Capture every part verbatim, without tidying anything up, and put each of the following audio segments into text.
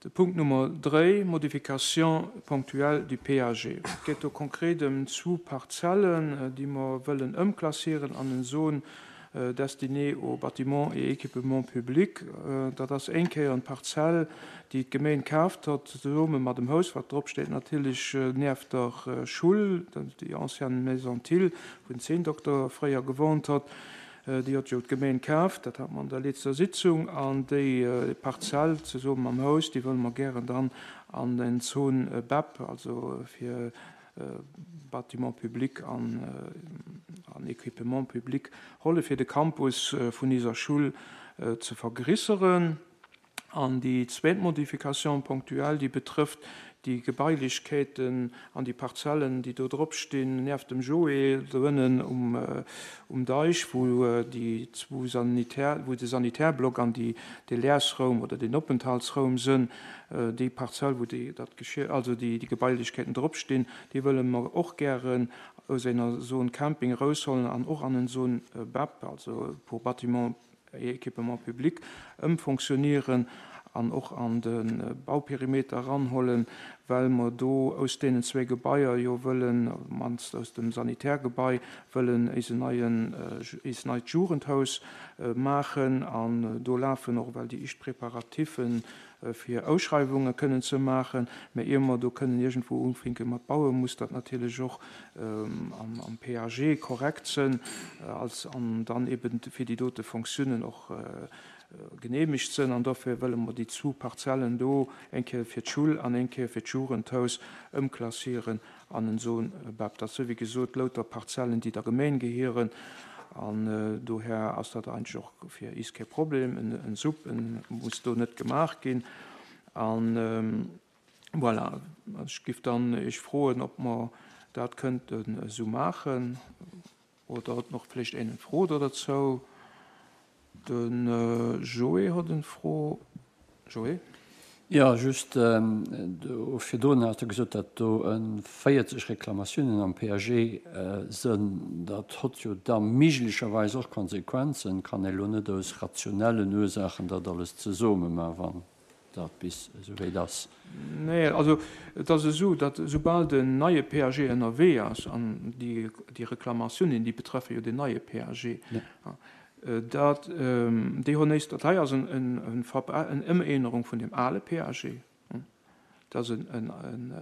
De Punkt Nummer dräi, Modification ponctuelle du P A G. Et geet do konkret ëm zwou Parzellen, déi mer wëllen ëmklassieren an en Zone destinée aux bâtiments et équipements publics. Dat ass eng Kéier eng Parzell, déi d'Gemeng kaaft huet, zesumme mat dem Haus, wat drop steet, natierlech nieft der Schoul, déi ancienne Maison Thill, wou den Zänndokter fréier gewunnt huet. Déi huet jo d'Gemeng kaaft, dat hat mer an der leschter Sitzung, an déi Parzell zesumme mam Haus, déi wëlle mer gären dann an den Zone B E P, also fir Bâtiment public an, an Équipement public holle fir de Campus vun eiser Schoul ze vergréisseren. An déi zweet Modification ponctuelle, déi betrëfft déi Gebailechkeeten an déi Parzellen, déi do drop stinn, nieft dem Joé, do ënnen um, um Deich, wou déi zwou Sanitär, wou de Sanitärblock an déi, de Leersraum oder den Openthaltsraum sinn, déi Parzell, wou déi, dat Geschir, also déi, déi Gebailechkeeten drop stinn, déi wëlle mer och gären aus enger Zone Camping rausholen an och an en Zone B E P, also pour bâtiment et équipement public, ëmfonctionnéieren an och an de Bauperimeter ranhollen, well mer do aus deenen zwee Gebaier jo wëllen, mannst aus dem Sanitärgebai, wëllen eisen neien, eist neit Jugendhaus maachen, an do lafen och well déi éischt Preparativen fir Ausschreiwunge kënnen ze maachen, mä ier mer do kënnen iergendwou ufänke mat bauen, muss dat natierlech och am, am P A G korrekt sinn, als an dann eben fir déi dote Fonctiounen och geneemegt sinn, an dofir wëlle mer déi zwou Parzellen do eng Kéier fir d'Schoul an eng Kéier fir d'Jugendhaus ëmklassieren an en Zone B E P. Dat si wéi gesot lauter Parzellen, déi der Gemeng gehéieren, an dohier ass dat eigentlech och fir eis kee Problem, en, en SUP en muss do net gemaach ginn. An voilà, ech géif dann iech froen, ob mer dat kënnten esou maachen oder huet nach vläicht een eng Fro dozou. De Joé huet eng Fro. Joé? Jo, just do virdrun has de gesot, datt do véierzeg Reklamatiounen am P A G sënn. Dat hott jo da méiglecherweis och Konsequenzen. Kann ee lo net aus rationellen Ursaachen dat alles zesumme maachen, wann dat bis esou wéit ass? Nee, also et ass esou, datt soubal den neie P A G ënnerwee ass, an déi, déi Reklamatiounen, déi betreffe jo den neie P A G, dat déi hunn éischt, dat hei ass en, en, en, en Ëmännerung vun dem ale P A G. Dat ass en, en, en,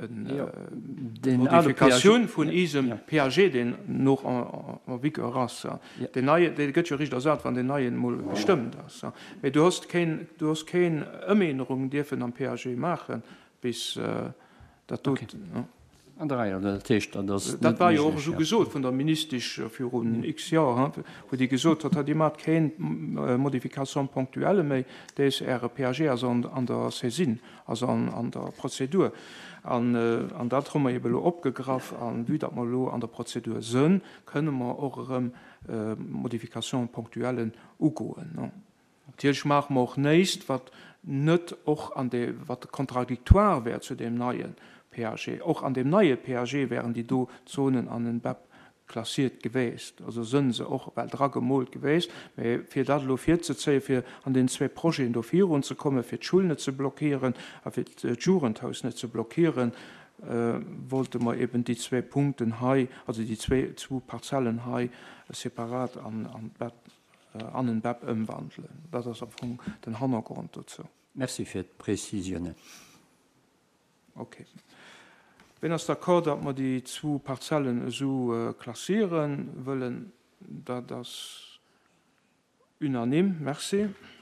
en Modifikatioun vun eisem P A G, deen nach en, en vigueur ass. Deen neie, dee gëtt jo eréischt ersat, wann deen neien emol gestëmmt ass. Mee du hues keen, du hues keen Ëmännerung dierfen am P A G maachen, bis dat do. An der Rei, dat heescht, dat ass Dat war jo och esou gesot vun der Ministesch virun x Joer, wou déi gesot huet, Dir maacht keng Modification ponctuelle méi, dés Äre P A G ass an, an der Saisine, also an, an der Prozedur. An, an dat hu mer ebe lo opgegraff, an vue datt mer elo an der Prozedur sënn, kënne mer och erëm Modification ponctuellen ugoen. Natierlech maache mer och näischt, wat net och an de, wat contradictoire wär zu deem neie P A G. Och an deem neie P A G wären déi do Zonen an den B E P klassiert gewiescht, also sënn se och well dra gemoolt gewiescht. Mä fir dat elo virzezéien, fir an den zwee Projeten do virun ze kommen, fir d'Schoul net ze blockéieren a fir d'Jugendhaus net ze blockéieren, wollte mer eben déi zwee Punkten hei, also déi zwee, zwou Parzellen hei separat an, an B E P, an en B E P ëmwandelen. Dat ass am Fong den Hannergrond dozou. Merci fir d'Präzisiounen. Okay. Wien ass d'accord, datt mer déi zwou Parzellen esou klassieren wëllen? Dat ass unanime. Merci.